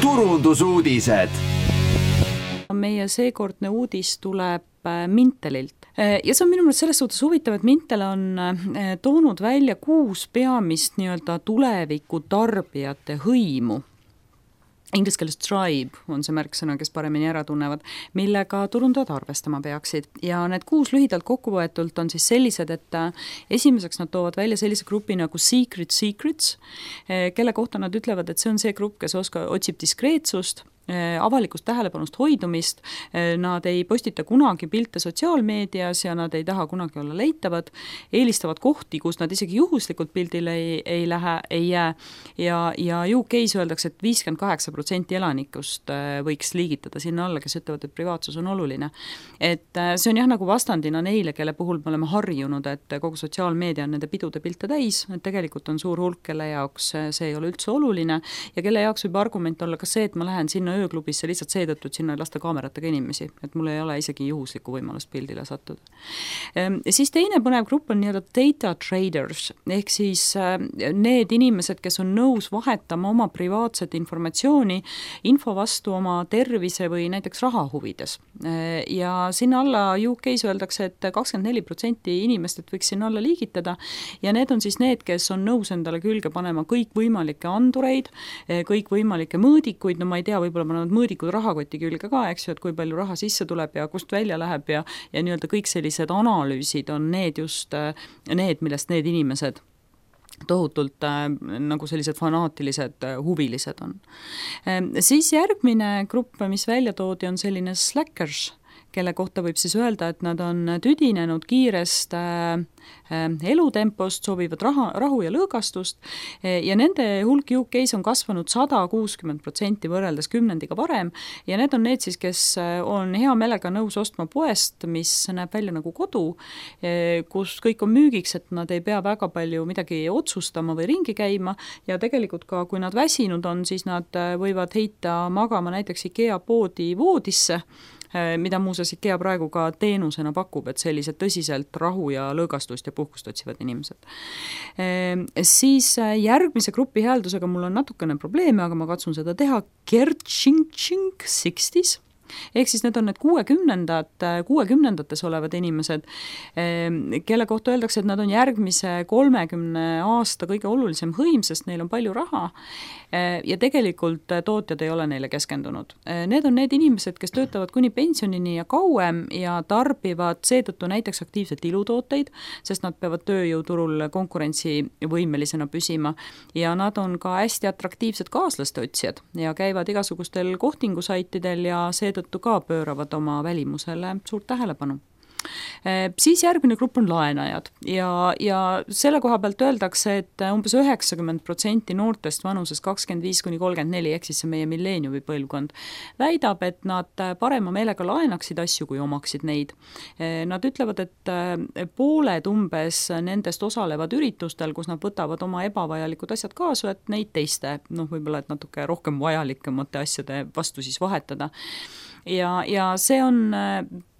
turundusuudised. Meie seekordne uudis tuleb Mintelilt. Ja see on minu meelest selles suhtes huvitav, et Mintel on toonud välja 6 peamist nii-öelda tuleviku tarbijate hõimu. Inglise keeles tribe on see märksõna, kes paremini ära tunnevad, millega turundajad arvestama peaksid. Ja need 6 lühidalt kokkuvõetult on siis sellised, et esimeseks nad toovad välja sellise grupi nagu Secret Secrets, kelle kohta nad ütlevad, et see on see grupp, kes otsib diskreetsust, avalikust tähelepanust hoidumist, nad ei postita kunagi pilte sotsiaalmeedias ja nad ei taha kunagi olla leitavad, eelistavad kohti, kus nad isegi juhuslikult pildile ei jää ja UK-s öeldakse, et 58% elanikust võiks liigitada sinna alla, kes ütlevad, et privaatsus on oluline. Et see on jah nagu vastandina neile, kelle puhul me oleme harjunud, et kogu sotsiaalmeedia on nende pidude pilte täis, et tegelikult on suur hulk, kelle jaoks see ei ole üldse oluline ja kelle jaoks võib argument olla ka see, et ma lähen sinna ööklubisse lihtsalt seetõttu, et sinna ei lasta kaameratega inimesi, et mul ei ole isegi juhuslikku võimalust pildile sattuda. Ja siis teine põnev grupp on nii-öelda data traders, ehk siis need inimesed, kes on nõus vahetama oma privaatset informatsiooni info vastu oma tervise või näiteks raha huvides. Ja sinna alla UK-s öeldakse, et 24% inimestest võiks sinna alla liigitada ja need on siis need, kes on nõus endale külge panema kõik võimalikke andureid, kõik võimalikke mõõdikuid, no ma ei tea, võib-olla panevad mõõdikud rahakoti külge ka, eks ju, et kui palju raha sisse tuleb ja kust välja läheb ja nii-öelda kõik sellised analüüsid on need just need, millest need inimesed tohutult nagu sellised fanaatilised huvilised on. Siis järgmine grupp, mis välja toodi, on selline slackers, kelle kohta võib siis öelda, et nad on tüdinenud kiirest elutempost, soovivad rahu ja lõõgastust ja nende hulk UK-s on kasvanud 160% võrreldes 10 varem ja need on need siis, kes on hea meelega nõus ostma poest, mis näeb välja nagu kodu, kus kõik on müügiks, et nad ei pea väga palju midagi otsustama või ringi käima ja tegelikult ka, kui nad väsinud on, siis nad võivad heita magama näiteks IKEA poodi voodisse, mida muuseas IKEA praegu ka teenusena pakub, et sellised tõsiselt rahu ja lõõgastust ja puhkust otsivad inimesed. Siis järgmise grupi hääldusega mul on natukene probleeme, aga ma katsun seda teha. Kerching 60s. Ehk siis need on need 60-ndates olevad inimesed, kelle kohta öeldakse, et nad on järgmise 30 aasta kõige olulisem hõim, sest neil on palju raha ja tegelikult tootjad ei ole neile keskendunud. Need on need inimesed, kes töötavad kuni pensionini ja kauem ja tarbivad seetõttu näiteks aktiivselt ilutooteid, sest nad peavad tööjõuturul konkurentsivõimelisena püsima ja nad on ka hästi atraktiivsed kaaslaste otsijad ja käivad igasugustel kohtingusaitidel ja seetõttu ka pööravad oma välimusele suurt tähelepanu. Siis järgmine grupp on laenajad ja selle koha pealt öeldakse, et umbes 90% noortest vanuses 25-34, ehk siis see meie milleeniumi põlvkond, väidab, et nad parema meelega laenaksid asju, kui omaksid neid. Nad ütlevad, et pooled umbes nendest osalevad üritustel, kus nad võtavad oma ebavajalikud asjad kaasa, et neid teiste, võib-olla et natuke rohkem vajalikemate asjade vastu siis vahetada. Ja see on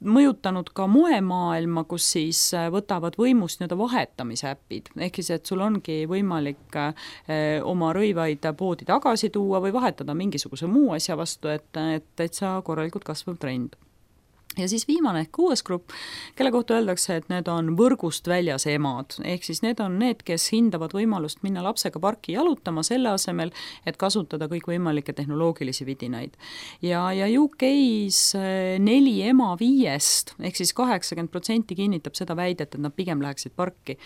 mõjutanud ka moemaailma, kus siis võtavad võimust nii-öelda vahetamise äpid, ehk siis, et sul ongi võimalik oma rõivaid poodi tagasi tuua või vahetada mingisuguse muu asja vastu, et sa korralikult kasvav trend. Ja siis viimane ehk 6. grupp, kelle kohta öeldakse, et need on võrgust väljas emad, ehk siis need on need, kes hindavad võimalust minna lapsega parki jalutama selle asemel, et kasutada kõik võimalikke tehnoloogilisi vidinaid. Ja UK-s 4 ema 5, ehk siis 80% kinnitab seda väidet, et nad pigem läheksid parki.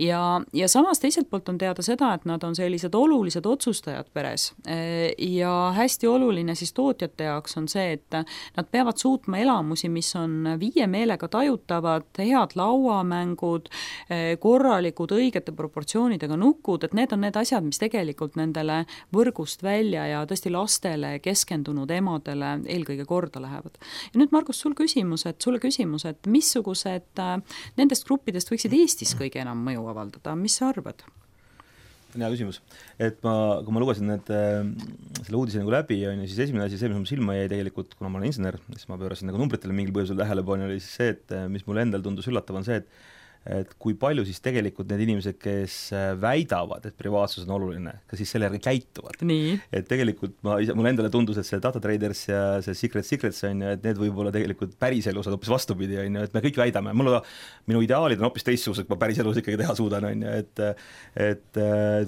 Ja samas teiselt poolt on teada seda, et nad on sellised olulised otsustajad peres ja hästi oluline siis tootjate jaoks on see, et nad peavad suutma elamusi, mis on viie meelega tajutavad, head lauamängud, korralikud õigete proportsioonidega nukud, et need on need asjad, mis tegelikult nendele võrgust välja ja tõesti lastele keskendunud emadele eelkõige korda lähevad. Ja nüüd, Margus, sulle küsimus, et missugused nendest gruppidest võiksid Eestis kõige enam mõju avaldada, mis sa arvad? Hea küsimus. Et kui ma lugesin selle uudise nagu läbi, siis esimene asi, see, mis mul silma jäi tegelikult, kuna ma olen insener, siis ma pöörasin nagu numbritele mingil põhjusel tähelepanu, oli siis see, et mis mulle endal tundus üllatav on see, et et kui palju siis tegelikult need inimesed, kes väidavad, et privaatsus on oluline, ka siis selle järgi käituvad. Et tegelikult mulle endale tundus, et see Data Traders ja see Secrets on ju, et need võib-olla tegelikult päriselus on hoopis vastupidi, on ju, et me kõik väidame, minu ideaalid on hoopis teistsugused, ma päriselus ikkagi teha suudan, on ju, et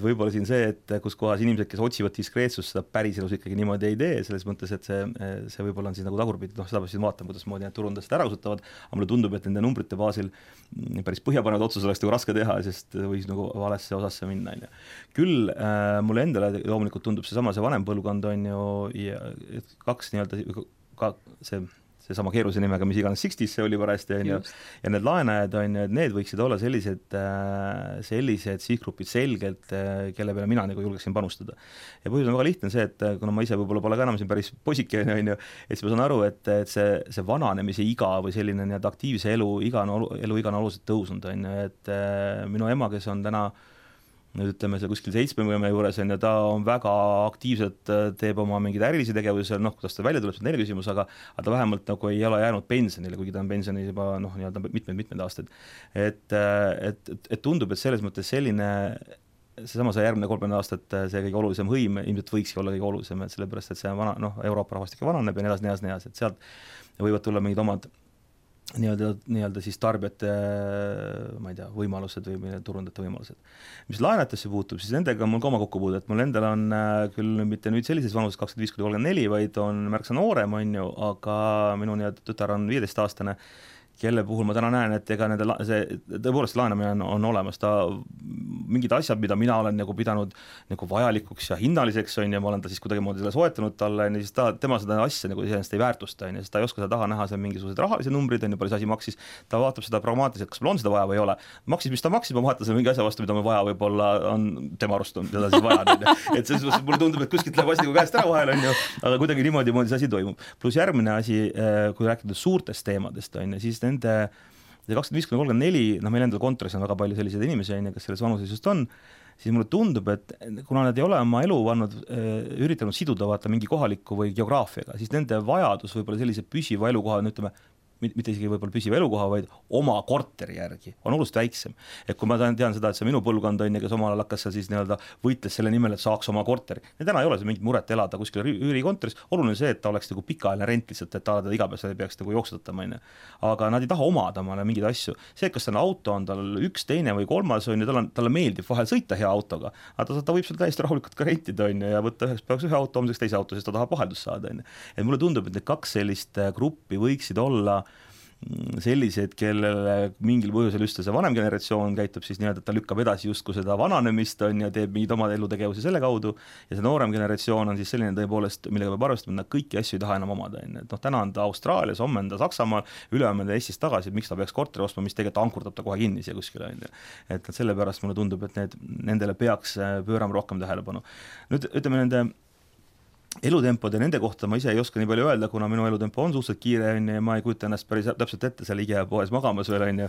võib-olla siin see, et kus kohas inimesed, kes otsivad diskreetsust, seda päriselus ikkagi niimoodi ei tee, selles mõttes, et see võib-olla on siis nagu tagurpidi, seda peab siis vaatama, kuidas moodi need turundajad ära kasutavad, aga mulle tundub, et nende numbrite baasil päris põhjapanevad otsus oleks nagu raske teha, sest võis nagu valesse osasse minna, on ju. Küll mulle endale loomulikult tundub see vanem põlvkond on ju, ja kaks nii-öelda seesama keerulise nimega, mis iganes 60s see oli parajasti, on ju, ja need laenajad on ju, et need võiksid olla sellised sihtgrupid selgelt, kelle peale mina nagu julgeksin panustada. Ja põhjus on väga lihtne see, et kuna ma ise võib-olla pole ka enam siin päris posike, on ju, et siis ma saan aru, et see vananemise iga või selline nii-öelda aktiivse eluiga on oluliselt tõusnud, on ju, et minu ema, kes on täna nüüd ütleme, see kuskil 70 juures on ja ta on väga aktiivselt, teeb oma mingeid ärilisi tegevusi, kuidas ta välja tuleb, see on teine küsimus, aga ta vähemalt nagu ei ole jäänud pensionile, kuigi ta on pensionis juba nii-öelda mitmed aastaid. Et tundub, et selles mõttes selline, seesama see järgmine 30 aastat, see kõige olulisem hõim ilmselt võikski olla kõige olulisem, et sellepärast, et see Euroopa rahvastik vananeb ja nii edasi, et sealt võivad tulla mingid omad nii-öelda siis tarbijate, ma ei tea, võimalused või turundajate võimalused. Mis laenatesse puutub, siis nendega on mul ka oma kokkupuude, et mul endal on küll mitte nüüd sellises vanuses 25-34, vaid on märksa noorem, on ju, aga minu nii-öelda tütar on 15-aastane, kelle puhul ma täna näen, et ega tõepoolest laenamine on olemas, ta mingid asjad, mida mina olen nagu pidanud nagu vajalikuks ja hinnaliseks, on ja ma olen ta siis kuidagimoodi selle soetanud talle, siis tema seda asja nagu iseenesest ei väärtusta, sest ta ei oska seda taha näha, see on mingisugused rahalised numbrid, on ju, palju see asi maksis, ta vaatab seda pragmaatiliselt, kas mul on seda vaja või ei ole. Maksis, mis ta maksis, ma vaatan selle mingi asja vastu, mida mul vaja võib-olla on tema arust, teda siis vaja, et selles mõttes mulle tundub, et kuskilt läheb asi nagu käest ära vahel, on ju, aga kuidagi niimoodi see asi toimub. Pluss järgmine asi, kui rääkida suurtest teemadest, on ju, siis nende 25-34, meil endal kontoris on väga palju selliseid inimesi, kes selles vanuses just on, siis mulle tundub, et kuna nad ei ole oma elu üritanud siduda vaata mingi kohaliku või geograafiaga, siis nende vajadus võib-olla sellise püsiva elukoha, ütleme, mitte isegi võib-olla püsiva elukoha, vaid oma korteri järgi on oluliselt väiksem. Et kui ma tean seda, et see minu põlvkond on, kes omal ajal hakkas seal siis nii-öelda võitles selle nimel, et saaks oma korteri. Ja täna ei ole see mingit muret elada kuskil üürikontoris, oluline see, et ta oleks nagu pikaajaline rent lihtsalt, et ta igapäevaselt ei peaks nagu jooksutatama. Aga nad ei taha omada omale mingeid asju. See, kas tal auto on tal üks, teine või kolmas, on ja talle meeldib vahel sõita hea autoga, aga ta võib seal täiesti rahulikult ka rentida ja võtta üheks päevaks ühe auto, homseks teise auto, sest ta tahab vaheldust saada. Et mulle tundub, et need kaks sellist gruppi võiksid olla sellised, kellele mingil põhjusel just see vanem generatsioon käitub siis nii-öelda, et ta lükkab edasi justkui seda vananemist on ja teeb mingid omad elutegevusi selle kaudu ja see noorem generatsioon on siis selline tõepoolest, millega peab arvestama, et nad kõiki asju ei taha enam omada. Et täna on ta Austraalias, homme on ta Saksamaal, ülehomme on ta Eestist tagasi, et miks ta peaks korteri ostma, mis tegelikult ankurdab ta kohe kinni siia kuskile. Et sellepärast mulle tundub, et nendele peaks pöörama rohkem tähelepanu. Nüüd ütleme nende elutempod ja nende kohta ma ise ei oska nii palju öelda, kuna minu elutempo on suhteliselt kiire ja ma ei kujuta ennast päris täpselt ette seal IKEA poes magamas veel on ju,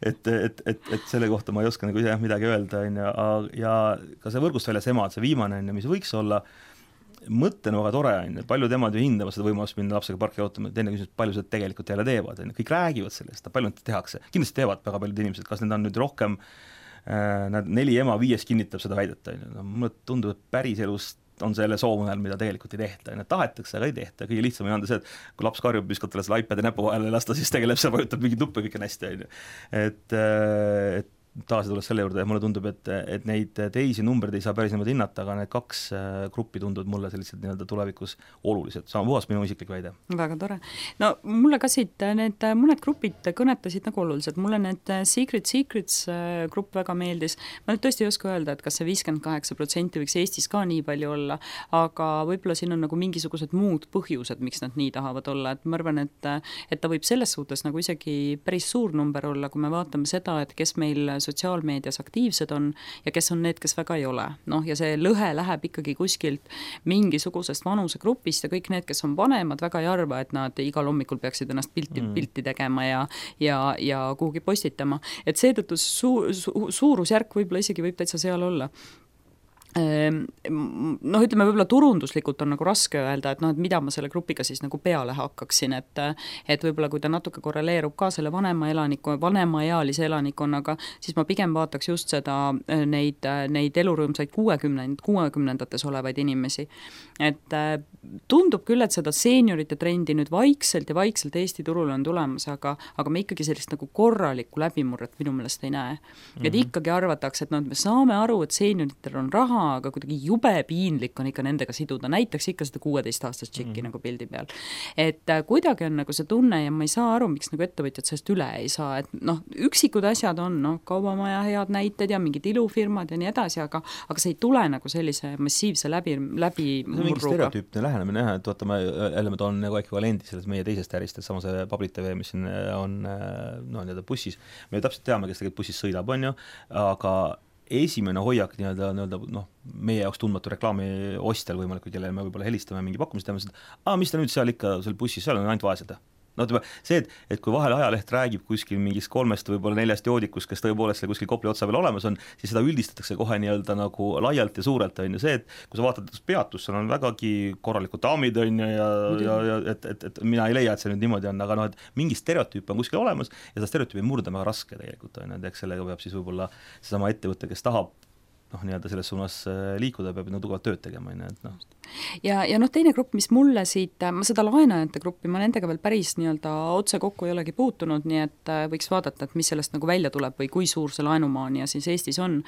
et selle kohta ma ei oska nagu ise midagi öelda on ju, ja ka see võrgust väljas emad, see viimane on ju, mis võiks olla mõttena väga tore on, palju temad ju hindavad seda võimalust minna lapsega parki ootama, teine küsimus, palju seda tegelikult jälle teevad, kõik räägivad sellest, palju nad tehakse, kindlasti teevad väga paljud inimesed, kas need on nüüd rohkem, 4 ema 5 kinnitab seda väidet, mulle tundub, et päris elust on selle soovunel, mida tegelikult ei tehta, tahetakse, aga ei tehta, kõige lihtsam on anda see, et kui laps karjub, viskab talle selle iPadi näpu vahele ja lasta, siis tegeleb see, vajutab mingid nuppe, kõik on hästi, et tagasi tulles selle juurde ja mulle tundub, et neid teisi numbreid ei saa päris niimoodi hinnata, aga need kaks gruppi tunduvad mulle sellised nii-öelda tulevikus olulised, sama puhas minu isiklik väide. Väga tore. No mulle ka siit need mõned grupid kõnetasid nagu olulised, mulle need Secrets grupp väga meeldis, ma nüüd tõesti ei oska öelda, et kas see 58% võiks Eestis ka nii palju olla, aga võib-olla siin on nagu mingisugused muud põhjused, miks nad nii tahavad olla, et ma arvan, et ta võib selles suhtes nagu isegi päris suur number olla, kui me vaatame seda, et kes meil sotsiaalmeedias aktiivsed on ja kes on need, kes väga ei ole. Ja see lõhe läheb ikkagi kuskilt mingisugusest vanusegrupist ja kõik need, kes on vanemad, väga ei arva, et nad igal hommikul peaksid ennast pilti tegema ja kuhugi postitama. Et seetõttu suurusjärk võib-olla isegi võib täitsa seal olla. noh, ütleme võib-olla turunduslikult on nagu raske öelda, et noh, et mida ma selle grupiga siis nagu peale hakkaksin, et võib-olla kui ta natuke korreleerub ka selle vanemaealise elanikkonnaga, siis ma pigem vaataks just seda, neid elurõõmsaid 60-ndates olevaid inimesi. Et tundub küll, et seda seeniorite trendi nüüd vaikselt Eesti turul on tulemas, aga me ikkagi sellist nagu korralikku läbimurret minu meelest ei näe. Et ikkagi arvatakse, et no, me saame aru, et seenioritel on raha, aga kuidagi jube piinlik on ikka nendega siduda, näiteks ikka seda 16-aastast tšikki nagu pildi peal. Et kuidagi on nagu see tunne ja ma ei saa aru, miks nagu ettevõtjad sellest üle ei saa, et noh, üksikud asjad on, noh, kaubamaja head näited ja mingid ilufirmad ja nii edasi, aga see ei tule nagu sellise massiivse läbi mingi stereotüüpne lähenemine, et vaata, me toon nagu ekvivalendi selles meie teisest ärist, et sama see Public TV, mis siin on nii-öelda bussis, me täpselt teame, kes tegelikult bussis sõidab, on ju, aga esimene hoiak nii-öelda noh, meie jaoks tundmatu reklaami ostjal võimalikult, kellele me võib-olla helistame mingi pakkumist, teeme seda, mis ta nüüd seal ikka seal bussis, seal on ainult vaesed. No see, et kui vahel ajaleht räägib kuskil mingist 3 võib-olla 4 joodikust, kes tõepoolest seal kuskil Kopli otsa veel olemas on, siis seda üldistatakse kohe nii-öelda nagu laialt ja suurelt, on ju see, et kui sa vaatad peatus, seal on vägagi korralikud daamid, on ju, ja et mina ei leia, et see nüüd niimoodi on, aga noh, et mingi stereotüüp on kuskil olemas ja seda stereotüüpi murda väga raske tegelikult, on ju, et eks sellega peab siis võib-olla seesama ettevõte, kes tahab noh, nii-öelda selles suunas liikuda, peab tugevalt tööd tegema, et noh. Ja noh, teine grupp, mis mulle siit, ma seda laenajate gruppi, ma nendega veel päris nii-öelda otse kokku ei olegi puutunud, nii et võiks vaadata, et mis sellest nagu välja tuleb või kui suur see laenumaania siis Eestis on.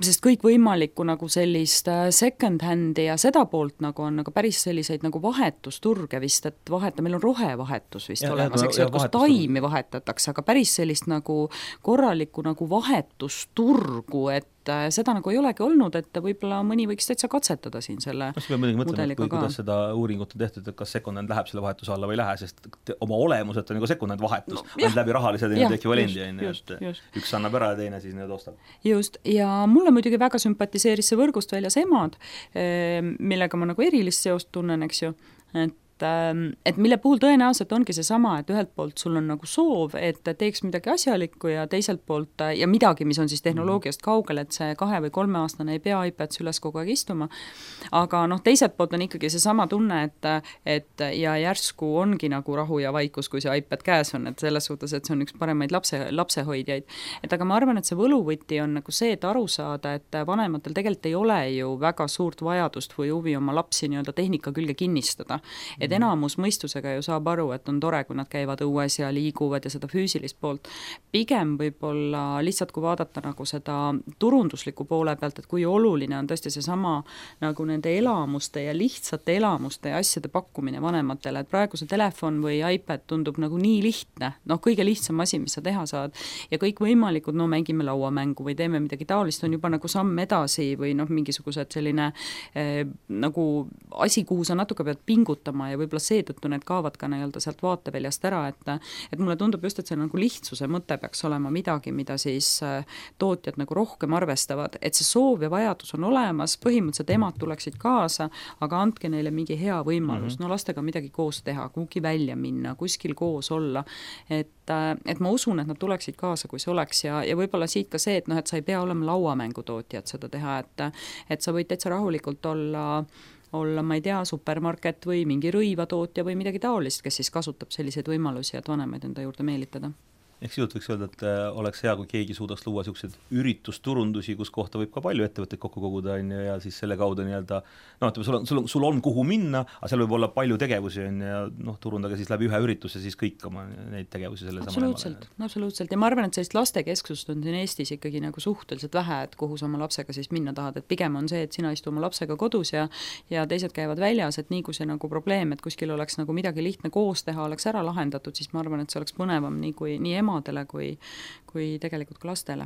Sest kõik võimalikku nagu sellist second hand'i ja seda poolt nagu on nagu päris selliseid nagu vahetusturge vist, et meil on rohevahetus vist olemas, eks ju, kus taimi vahetatakse, aga päris sellist nagu korralikku nagu vahetusturgu, et seda nagu ei olegi olnud, et võib-olla mõni võiks täitsa katsetada siin selle mudeliga ka. Kuidas seda uuringut on tehtud, et kas second hand läheb selle vahetuse alla või ei lähe, sest oma olemuselt on nagu second hand vahetus, on läbi rahalised ekvivalendi, üks annab ära ja teine siis need ostab. Just, ja mulle muidugi väga sümpatiseeris see võrgust väljas emad, millega ma nagu erilist seost tunnen, eks ju, et mille puhul tõenäoliselt ongi see sama, et ühelt poolt sul on nagu soov, et teeks midagi asjalikku ja teiselt poolt ja midagi, mis on siis tehnoloogiast kaugel, et see 2 või 3 aastane ei pea iPad üles kogu aeg istuma, aga noh, teiselt poolt on ikkagi see sama tunne, et ja järsku ongi nagu rahu ja vaikus, kui see iPad käes on, et selles suhtes, et see on üks paremaid lapsehoidjaid. Et aga ma arvan, et see võluvõti on nagu see, et aru saada, et vanematel tegelikult ei ole ju väga suurt vajadust või huvi oma lapsi nii-öelda tehnika külge kinnistada. Et enamus mõistusega ju saab aru, et on tore, kui nad käivad õues ja liiguvad ja seda füüsilist poolt. Pigem võib-olla lihtsalt, kui vaadata nagu seda turundusliku poole pealt, et kui oluline on tõesti seesama nagu nende elamuste ja lihtsate elamuste ja asjade pakkumine vanematele, et praegu see telefon või iPad tundub nagu nii lihtne, noh, kõige lihtsam asi, mis sa teha saad ja kõik võimalikud, no mängime lauamängu või teeme midagi taolist, on juba nagu samm edasi või noh, mingisugused selline nagu asi, kuhu sa natuke pead pingutama ja võib-olla seetõttu need kaovad ka nii-öelda sealt vaateväljast ära, et mulle tundub just, et see nagu lihtsuse mõte peaks olema midagi, mida siis tootjad nagu rohkem arvestavad, et see soov ja vajadus on olemas, põhimõtteliselt emad tuleksid kaasa, aga andke neile mingi hea võimalus, no lastega midagi koos teha, kuhugi välja minna, kuskil koos olla, et ma usun, et nad tuleksid kaasa, kui see oleks ja võib-olla siit ka see, et noh, et sa ei pea olema lauamängutootjad seda teha, et sa võid täitsa rahulikult olla, ma ei tea, supermarket või mingi rõivatootja või midagi taolist, kes siis kasutab selliseid võimalusi, et vanemaid enda juurde meelitada. Eks juht võiks öelda, et oleks hea, kui keegi suudaks luua sellised üritusturundusi, kus kohta võib ka palju ettevõtteid kokku koguda ja siis selle kaudu nii-öelda, no ütleme, sul on kuhu minna, aga seal võib olla palju tegevusi ja noh, turundage siis läbi ühe ürituse siis kõik oma neid tegevusi selle absoluutselt ja ma arvan, et sellist lastekesksust on siin Eestis ikkagi nagu suhteliselt vähe, et kuhu sa oma lapsega siis minna tahad, et pigem on see, et sina istu oma lapsega kodus ja teised käivad väljas, et nii kui see nagu probleem, et kuskil oleks nagu midagi lihtne koos teha, oleks ära lahendatud, siis ma arvan, et see oleks põnevam nii emadele kui tegelikult ka lastele.